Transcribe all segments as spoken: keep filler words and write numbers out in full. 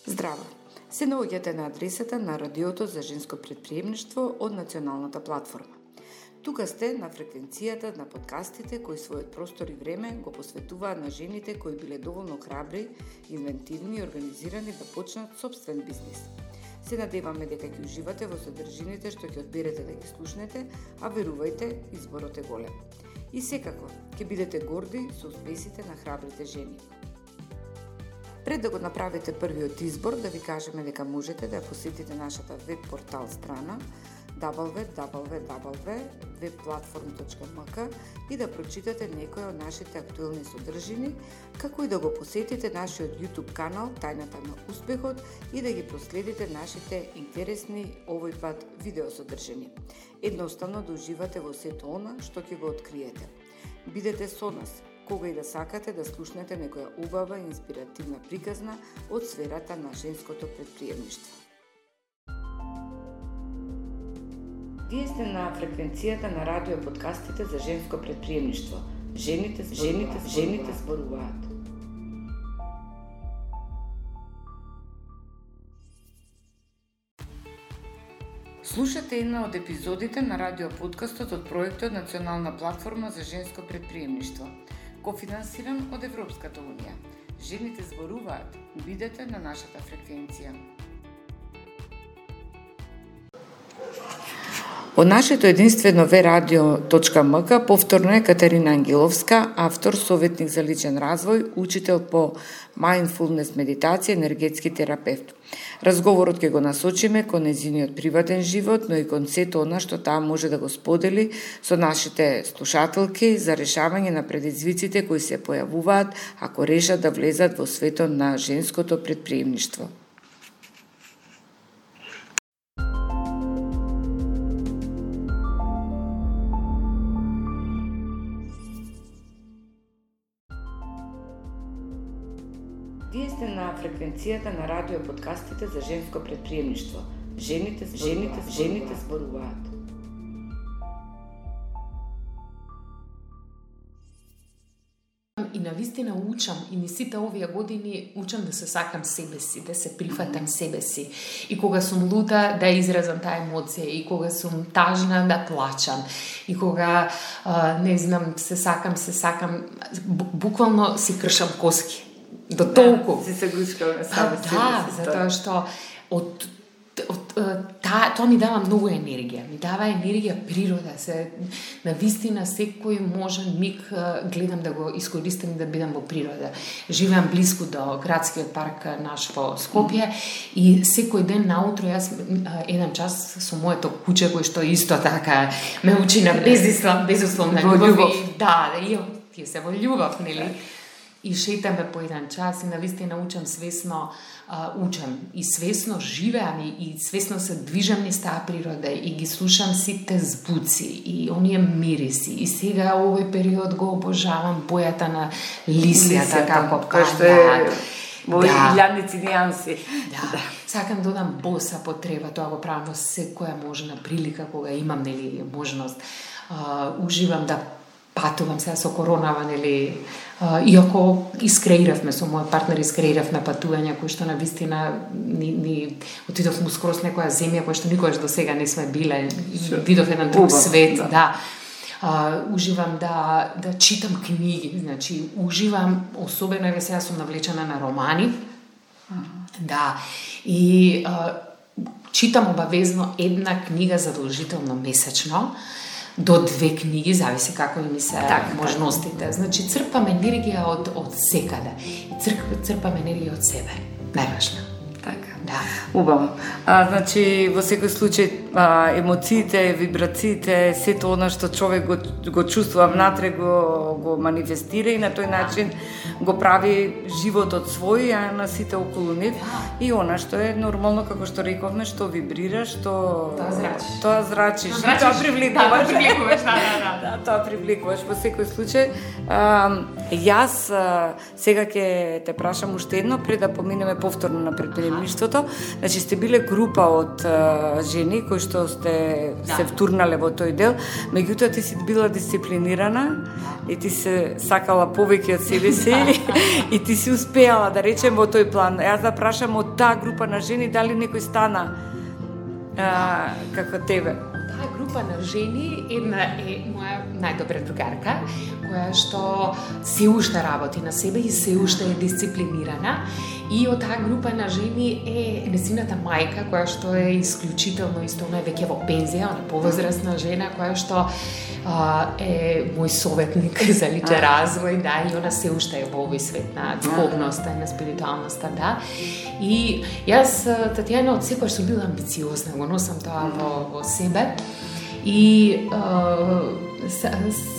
Здраво! Се наоѓате на адресата на Радиото за женско претприемништво од Националната платформа. Тука сте на фреквенцијата на подкастите кои својот простор и време го посветуваат на жените кои биле доволно храбри, инвентивни и организирани да почнат собствен бизнис. Се надеваме дека ќе уживате во содржините што ќе одберете да ги слушнете, а верувајте, изборот е голем. И секако, ќе бидете горди со успесите на храбрите жени. Пред да го направите првиот избор, да ви кажеме дека можете да посетите нашата веб портал страна дабл ю дабл ю дабл ю точка веб платформ точка ем ка и да прочитате некои од нашите актуелни содржини, како и да го посетите нашиот YouTube канал Тајната на успехот и да ги проследите нашите интересни овој пат видеосодржини. Едноставно да уживате во сето она што ќе го откриете. Бидете со нас кога и да сакате да слушнете некоја убава и инспиративна приказна од сферата на женското претприемништво. Вие сте на фреквенцијата на радио подкастите за женско претприемништво. Жените, жените, жените зборуваат. Слушате една од епизодите на радио подкастот од проектот Национална платформа за женско претприемништво, кофинансиран од Европската унија. Жените зборуваат. Бидете на нашата фреквенција. Од нашето единствено ве радио точка ем ка повторно е Катерина Ангеловска, автор, советник за личен развој, учител по mindfulness медитација, енергетски терапевт. Разговорот ќе го насочиме кон нејзиниот приватен живот, но и кон сето она што таа може да го сподели со нашите слушателки за решавање на предизвиците кои се појавуваат ако решат да влезат во светот на женското претприемништво. Вие сте на фреквенцијата на радио подкастите за женско претприемништво. Жените, жените, жените зборуваат. И навистина учам, и ни сите овие години учам да се сакам себе си, да се прифатам себе си. И кога сум лута, да изразам таа емоција, и кога сум тажна, да плачам. И кога, а, не знам, се сакам, се сакам, буквално си кршам коски. До толку. Да, си се гушкаме сами себе си. Да, затоа што од, од, та, тоа ми дава многу енергија. Ми дава енергија природа. Се, навистина секој можен миг гледам да го искористам и да бидам во природа. Живеам близко до градскиот парк наш во Скопје и секој ден наутро јас еден час со моето куче кој што исто така ме учи на безусловна безусловна љубов. Да, и тие се во љубов, нели? И шетаме по еден час и навистина учам свесно, а, учам и свесно живеам и, и свесно се движам низ таа природа и ги слушам сите звуци и оние мириси. И сега овој период го обожавам бојата на лисјата, како паѓаат. Во илјадници нијанси. Да. Да. Сакам да одам боса по трева, тоа го правам во секоја можна прилика кога имам нели можност. А, уживам да патувам сега со коронава, нели, иако искреиравме со мој партнер, искреиравме патувања кои што навистина ни, ни отидовме скрос некоја земја која што никогаш до сега не сме биле, видов еден друг свет, да. да. А, уживам да да читам книги, значи уживам, особено еве сега сум навлечена на романи. Uh-huh. Да. И а, читам обавезно една книга задолжително месечно. До две книги, зависи како ми се так, можностите. Так. Значи, црпам енергија од, од секаде. Црп, црпам енергија од себе. Најважно. Така. Да. Убаво. А, значи, во секој случај, а, емоциите, вибрациите, сето она што човек го, го чувствува внатре, го, го манифестира и на тој начин го прави животот свој, а на сите околу нив. И она што е нормално, како што рековме, што вибрира, што... Тоа зрачиш. Тоа зрачиш. Зрачиш. Тоа привлекуваш. Да, тоа привлекуваш, да, да, да. Да, тоа привлекуваш во секој случај. А, јас а, сега ќе те прашам уште едно, пред да поминеме повторно на претприемништвото. Значи, сте биле група од а, жени кои кои што сте Да. се втурнале во тој дел, меѓутоа ти си била дисциплинирана и ти се сакала повеќе од себе си и ти си успеала да речем во тој план. Јас да прашам од таа група на жени дали некој стана а, како тебе. Таа група на жени, една е моја најдобра другарка, која што се уште работи на себе и се уште е дисциплинирана. И од таа група на жени е незината мајка, која што е исклучително исто, она е веќе во пензија, она е повозрасна жена, која што а, е мој советник за личен развој, да, и она се уште е во овој свет на духовноста и на спиритуалноста, да. И јас, Татјана, од секој сум била амбициозна, го носам тоа во, во себе. И а,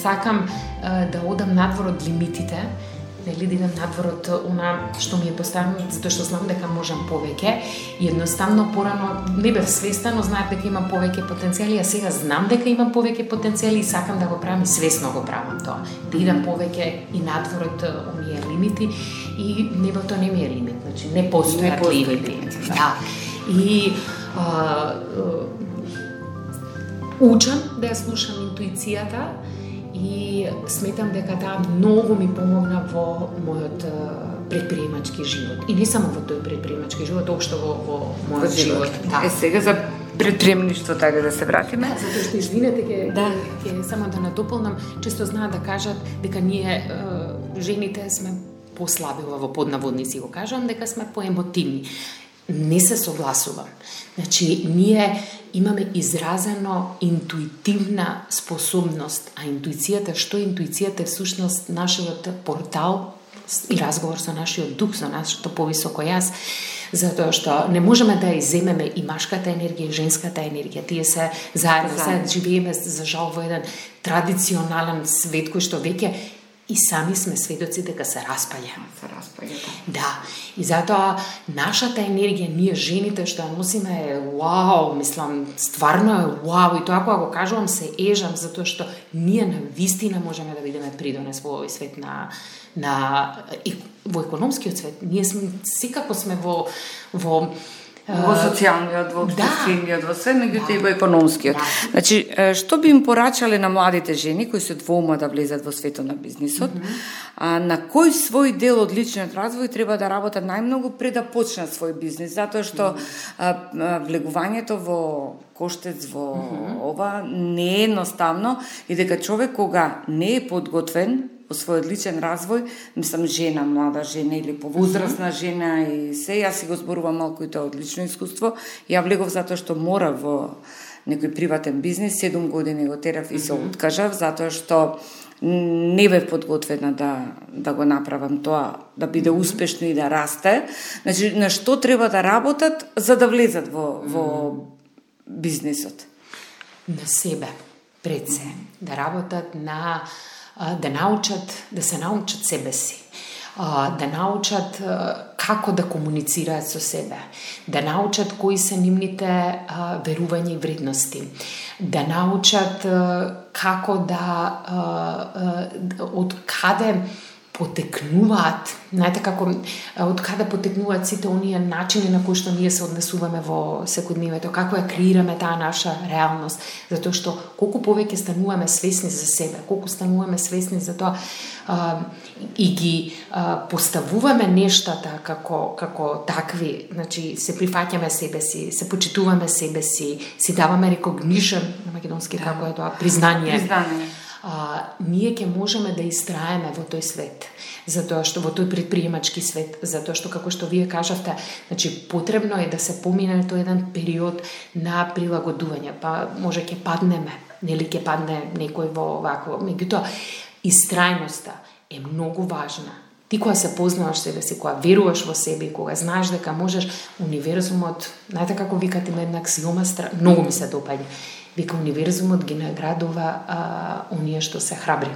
сакам а, да одам надвор од лимитите, нели, да идам надвор од она што ми е поставено, затоа што знам дека можам повеќе. И едноставно порано не бев свесна, но знаев дека имам повеќе потенцијали, а сега знам дека имам повеќе потенцијали и сакам да го правам и свесно го правам тоа. Да идам повеќе и надвор од оние лимити и небото не ми е лимит, значи не постојат лимити. Да. И а, а, учам да ја слушам интуицијата и сметам дека таа многу ми помогна во мојот предприемачки живот. И не само во тој предприемачки живот, општо во, во мојот живот. Да. Е, сега за предприемништво така да се вратиме. Да, затоа што извинете ќе да. ќе само да надополнам, често знаат да кажат дека ние е, жените сме послаби, во поднаводници го кажам, дека сме поемотивни. Не се согласувам. Значи, ние имаме изразено интуитивна способност, а интуицијата, што е интуицијата е всушност нашиот портал и разговор со нашиот дух, со нашето повисоко јас, затоа што не можеме да иземеме и машката енергија и женската енергија. Тие се заедно, заедно. Живееме за жал во еден традиционален свет кој што веќе и сами сме сведоци дека се распаѓа. Се распаѓа, да. Да. И затоа нашата енергија, ние жените што ја носиме е вау, мислам, стварно е вау. И тоа кога го кажувам се ежам, затоа што ние на вистина можеме да бидеме придонес во овој свет на на и, во економскиот свет. Ние сме секако сме во во во социјалниот, во обштествениот, во се, меѓутоа да. и во економскиот. Да. Значи, што би им порачале на младите жени кои се двоума да влезат во светот на бизнисот, mm -hmm. а, на кој свој дел од личниот развој треба да работат најмногу пред да почнат свој бизнис, затоа што mm -hmm. а, а, влегувањето во коштец во mm -hmm. ова не е едноставно и дека човек кога не е подготвен во својот личен развој, мислам жена, млада жена или повозрасна жена и се, јас си го зборувам малку и тоа од лично искуство, ја влегов затоа што морав во некој приватен бизнис, седум години го терав и се откажав, затоа што не бев подготвена да, да го направам тоа, да биде успешно и да расте. Значи, на што треба да работат за да влезат во, во бизнисот? На себе, пред се, да работат на да научат, да се научат себе си, да научат како да комуницираат со себе, да научат кои се нивните верувања и вредности, да научат како да од каде потекнуваат, знаете како од каде потекнуваат сите оние начини на кои што ние се однесуваме во секојдневието, како ја креираме таа наша реалност, затоа што колку повеќе стануваме свесни за себе, колку стануваме свесни за тоа а, и ги а, поставуваме нештата како како такви, значи се прифаќаме себе си, се почитуваме себе си, си даваме recognition на македонски да. Како е тоа признание. Признание. А, ние ќе можеме да истраеме во тој свет, затоа што во тој предприемачки свет, затоа што како што вие кажавте, значи потребно е да се помине тој еден период на прилагодување, па може ќе паднеме, нели ќе падне некој во вакво, меѓутоа истрајноста е многу важна. Ти кога се познаваш себе си, кога веруваш во себе и кога знаеш дека можеш, универзумот, знаете како викат има една аксиома, многу ми се допаѓа. Вика, универзумот ги наградува а, оние што се храбри.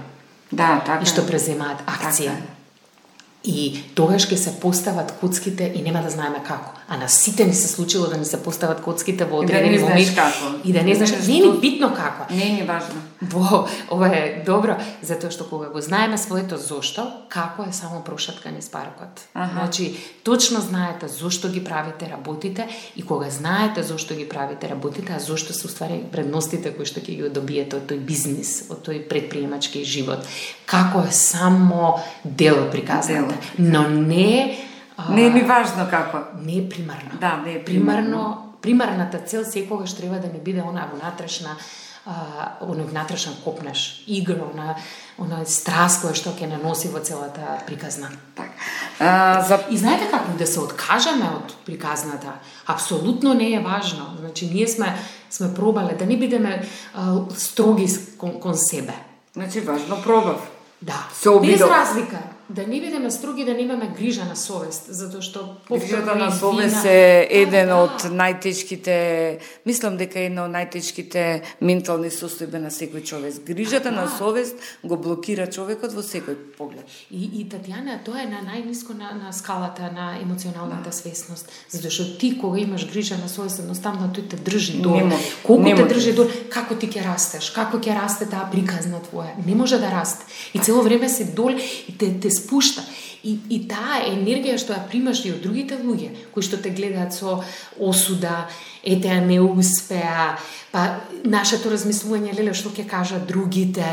Да, така. И што преземаат акција. Така. И тогаш ќе се постават коцките и нема да знаеме како. А на сите ни се случило да ни се постават коцките во одредени моменти. И да не знаеш како. И да не знаеш, не е ни битно како. Не е ни важно. Во, ова е добро, затоа што кога го знаеме своето зошто, како е само прошатка низ паркот. Ага. Значи, точно знаете зошто ги правите работите и кога знаете зошто ги правите работите, а зошто се уствари предностите кои што ќе ги добиете од тој бизнис, од тој предприемачки живот. Како е само дел приказната, но не а, не е ни важно како. Не е примарно. Да, не е примарно. примарно примарната цел секогаш треба да ни биде она внатрешна Uh, оној внатрешен копнеш, игра, она, она страст која што ќе наноси во целата приказна. Так. Uh, за... И знаете како да се откажеме од приказната, апсолутно не е важно. Значи, ние сме, сме пробале да не бидеме uh, строги кон, кон себе. Значи, важно пробав. Да, Се без разлика. Да не бидеме строги, да немаме грижа на совест, затоа што грижата на совест е еден да, од најтешките, мислам дека е една од најтешките ментални состојби на секој човек. Грижата да, на совест го блокира човекот во секој поглед. И, и Татјана, тоа е на најниско на, на скалата на емоционалната да. свесност, затоа што ти кога имаш грижа на совест, едноставно тој те држи долу. Колку те држи долу, како ти ќе растеш, како ќе расте таа приказна твоја, не може да расте. И цело време си дол и те, те спушта. И, и таа енергија што ја примаш и од другите луѓе, кои што те гледаат со осуда, ете, а не успеа, па нашето размислување, леле, што ќе кажат другите,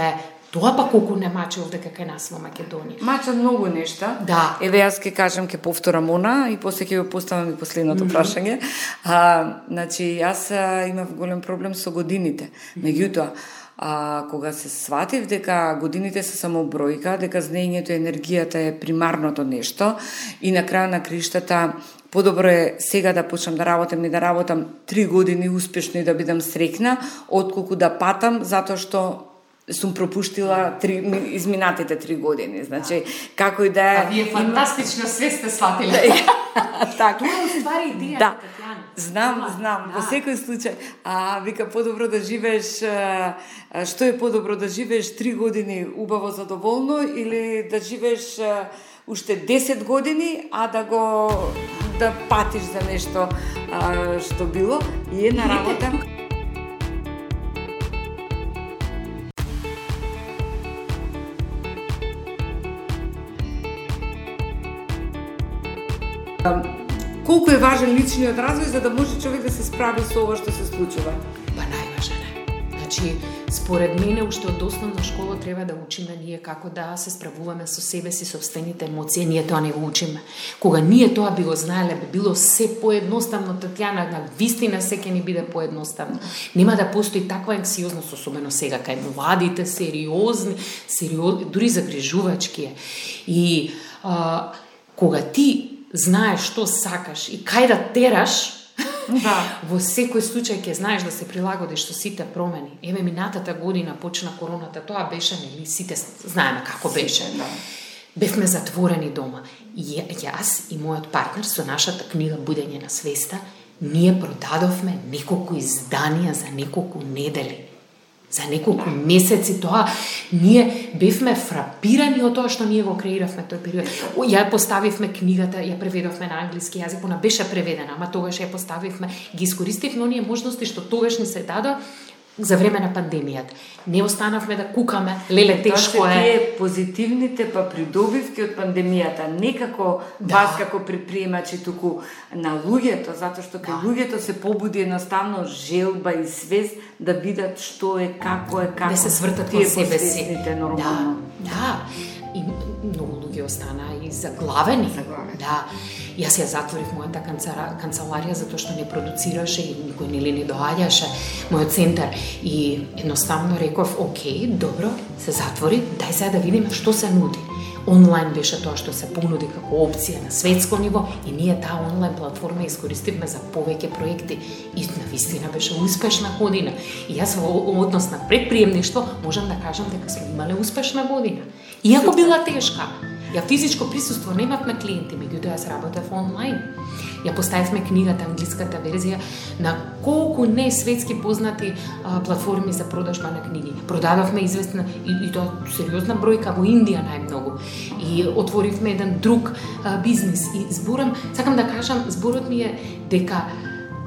тоа па колку не маче овде кај нас во Македонија. Мачат многу нешта. Да. Еве јас ќе кажам, ќе повторам она и после ќе го поставам и последното mm-hmm. прашање. А, значи, јас имав голем проблем со годините. Меѓутоа, А кога се сватив дека годините се само бројка, дека знаењето и енергијата е примарното нешто и на крај на криштата подобро е сега да почнам да работам и да работам три години успешно и да бидам среќна, отколку да патам затоа што сум пропуштила три, изминатите три години. Значи, како и да е... А вие фантастично све сте сватили. Так. Тоа е уствари идеја, да. Татјана. Знам, знам, да. Во секој случај. А, вика, подобро да живееш, а, што е подобро да живееш три години убаво задоволно или да живееш а, уште десет години, а да го да патиш за нешто а, што било. И една работа... Колку е важен личниот развој за да може човек да се справи со ова што се случува? Па најважен е. Значи, според мене, уште од основна школа треба да учиме ние како да се справуваме со себе си, собствените емоции. Ние тоа не го учиме. Кога ние тоа би го знаеле, би било се поедноставно, Татјана, на вистина се ќе ни биде поедноставно. Нема да постои таква анксиозност, особено сега кај младите, сериозни, сериозни, дури загрижувачки е. И а, кога ти знаеш што сакаш и кај да тераш, да. Во секој случај ќе знаеш да се прилагодиш со сите промени. Еве, минатата година почна короната, тоа беше, нели, сите знаеме како беше. Да. Бевме затворени дома. И јас и мојот партнер со нашата книга Будење на свеста, ние продадовме неколку изданија за неколку недели. За неколку месеци тоа, ние бевме фрапирани од тоа што ние го креиравме тој период. Ја поставивме книгата, ја преведовме на англиски јазик, она беше преведена, ама тогаш ја поставивме, ги искористивме оние можности што тогаш ни се дадо за време на пандемијата. Не останавме да кукаме, леле, тешко е. Тоа се тие позитивните па придобивки од пандемијата, не како да. Вас како предприемачи, туку на луѓето, затоа што кај да. Луѓето се побуди едноставно желба и свест да видат што е, како е, како да се свртат во себе си. Нормално. Да, да. И многу луѓе остана и заглавени. Заглавени. Да. Јас ја затворив мојата канцеларија затоа што не продуцираше и никој нели не доаѓаше мојот центар и едноставно реков, окей, добро, се затвори, дај сега да видиме што се нуди. Онлайн беше тоа што се понуди како опција на светско ниво и ние таа онлайн платформа искористивме за повеќе проекти и навистина беше успешна година. И јас во однос на предприемништво можам да кажам дека сме имале успешна година. Иако била тешка. Ја физичко присуство немавме клиенти, меѓутоа јас работев онлайн. Ја поставивме книгата, англиската верзија на колку не светски познати а, платформи за продажба на книги. Продадовме известна и, и тоа сериозна бројка во Индија најмногу. И отворивме еден друг а, бизнис и зборам, сакам да кажам, зборот ми е дека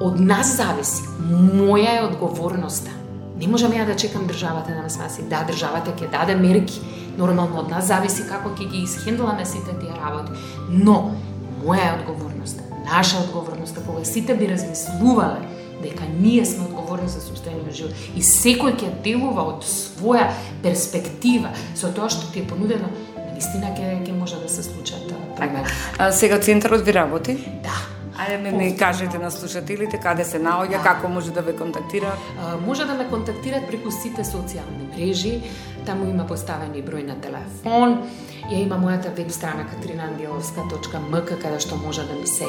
од нас зависи, моја е одговорноста. Не можам ја да чекам државата да ме спаси. Да, државата ќе даде мерки. Нормално од нас зависи како ќе ги исхендламе сите тие работи. Но моја е одговорноста, наша одговорноста, кога сите би размислувале дека ние сме одговорни за состојанието на живот и секој ќе делува од своја перспектива со тоа што ти е понудено, наистина ќе ќе може да се случат промени. А сега центарот ви работи? Да. Ајде ме не кажете на слушателите каде се наоѓа, како може да ве контактираат? Може да ме контактираат преку сите социјални мрежи, таму има поставени број на телефон, ја има мојата веб страна катерина ангеловска точка ем ка каде што може да ми се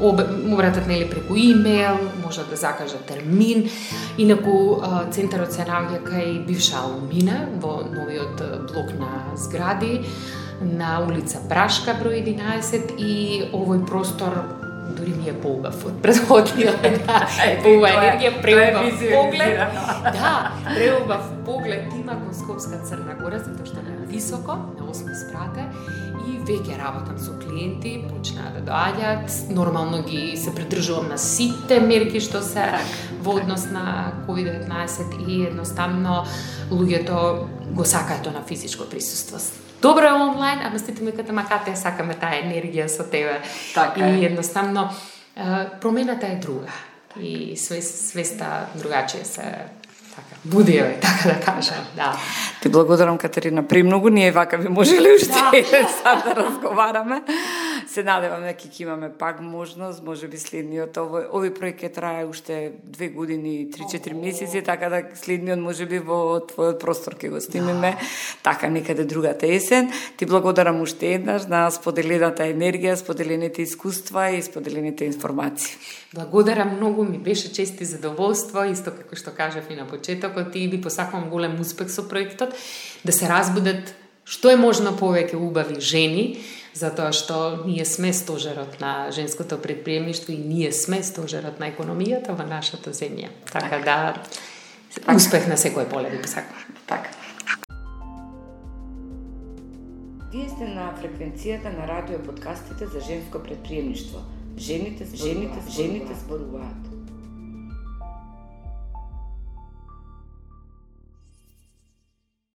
обратат нели преку имејл, може да закажа термин. Инаку центарот се наоѓа кај бивша Алмина во новиот блок на згради на улица Брашка број единаесет и овој простор дури ми е поубав од предходниот. Ова енергија, преубав поглед. Да, преубав поглед има кон Скопска Црна Гора, затоа што е високо, на осми спрате, и веќе работам со клиенти, почнаа да доаѓаат, нормално ги се придржувам на сите мерки што се во однос на ковид деветнаесет и едноставно луѓето го сакаат тоа на физичко присуство. Добро е онлайн, ама сите ми ката макате, сакаме таа енергија со тебе. Така и едноставно промената е друга. И свеста другачија се така будија, така да кажам, да. Ти благодарам, Катерина, премногу, ние вака би можеле уште еден сат да разговараме. Се надевам дека ќе имаме пак можност, може би следниот овој овој проект ќе трае уште две години, три-четири месеци, така да следниот може би во твојот простор ќе го снимиме, така некаде другата есен. Ти благодарам уште еднаш на споделената енергија, споделените искуства и споделените информации. Благодарам многу, ми беше чест и задоволство, исто како што кажав и на почетокот, и ви посакувам голем успех со проектот, да се разбудат што е можно повеќе убави жени, затоа што ние сме стожерот на женското предприемништво и ние сме стожерот на економијата во нашата земја. Така да, успех на секој поле ви посакувам. Така. Вие сте на фреквенцијата на радио подкастите за женско предприемништво. Жените, жените, жените зборуваат.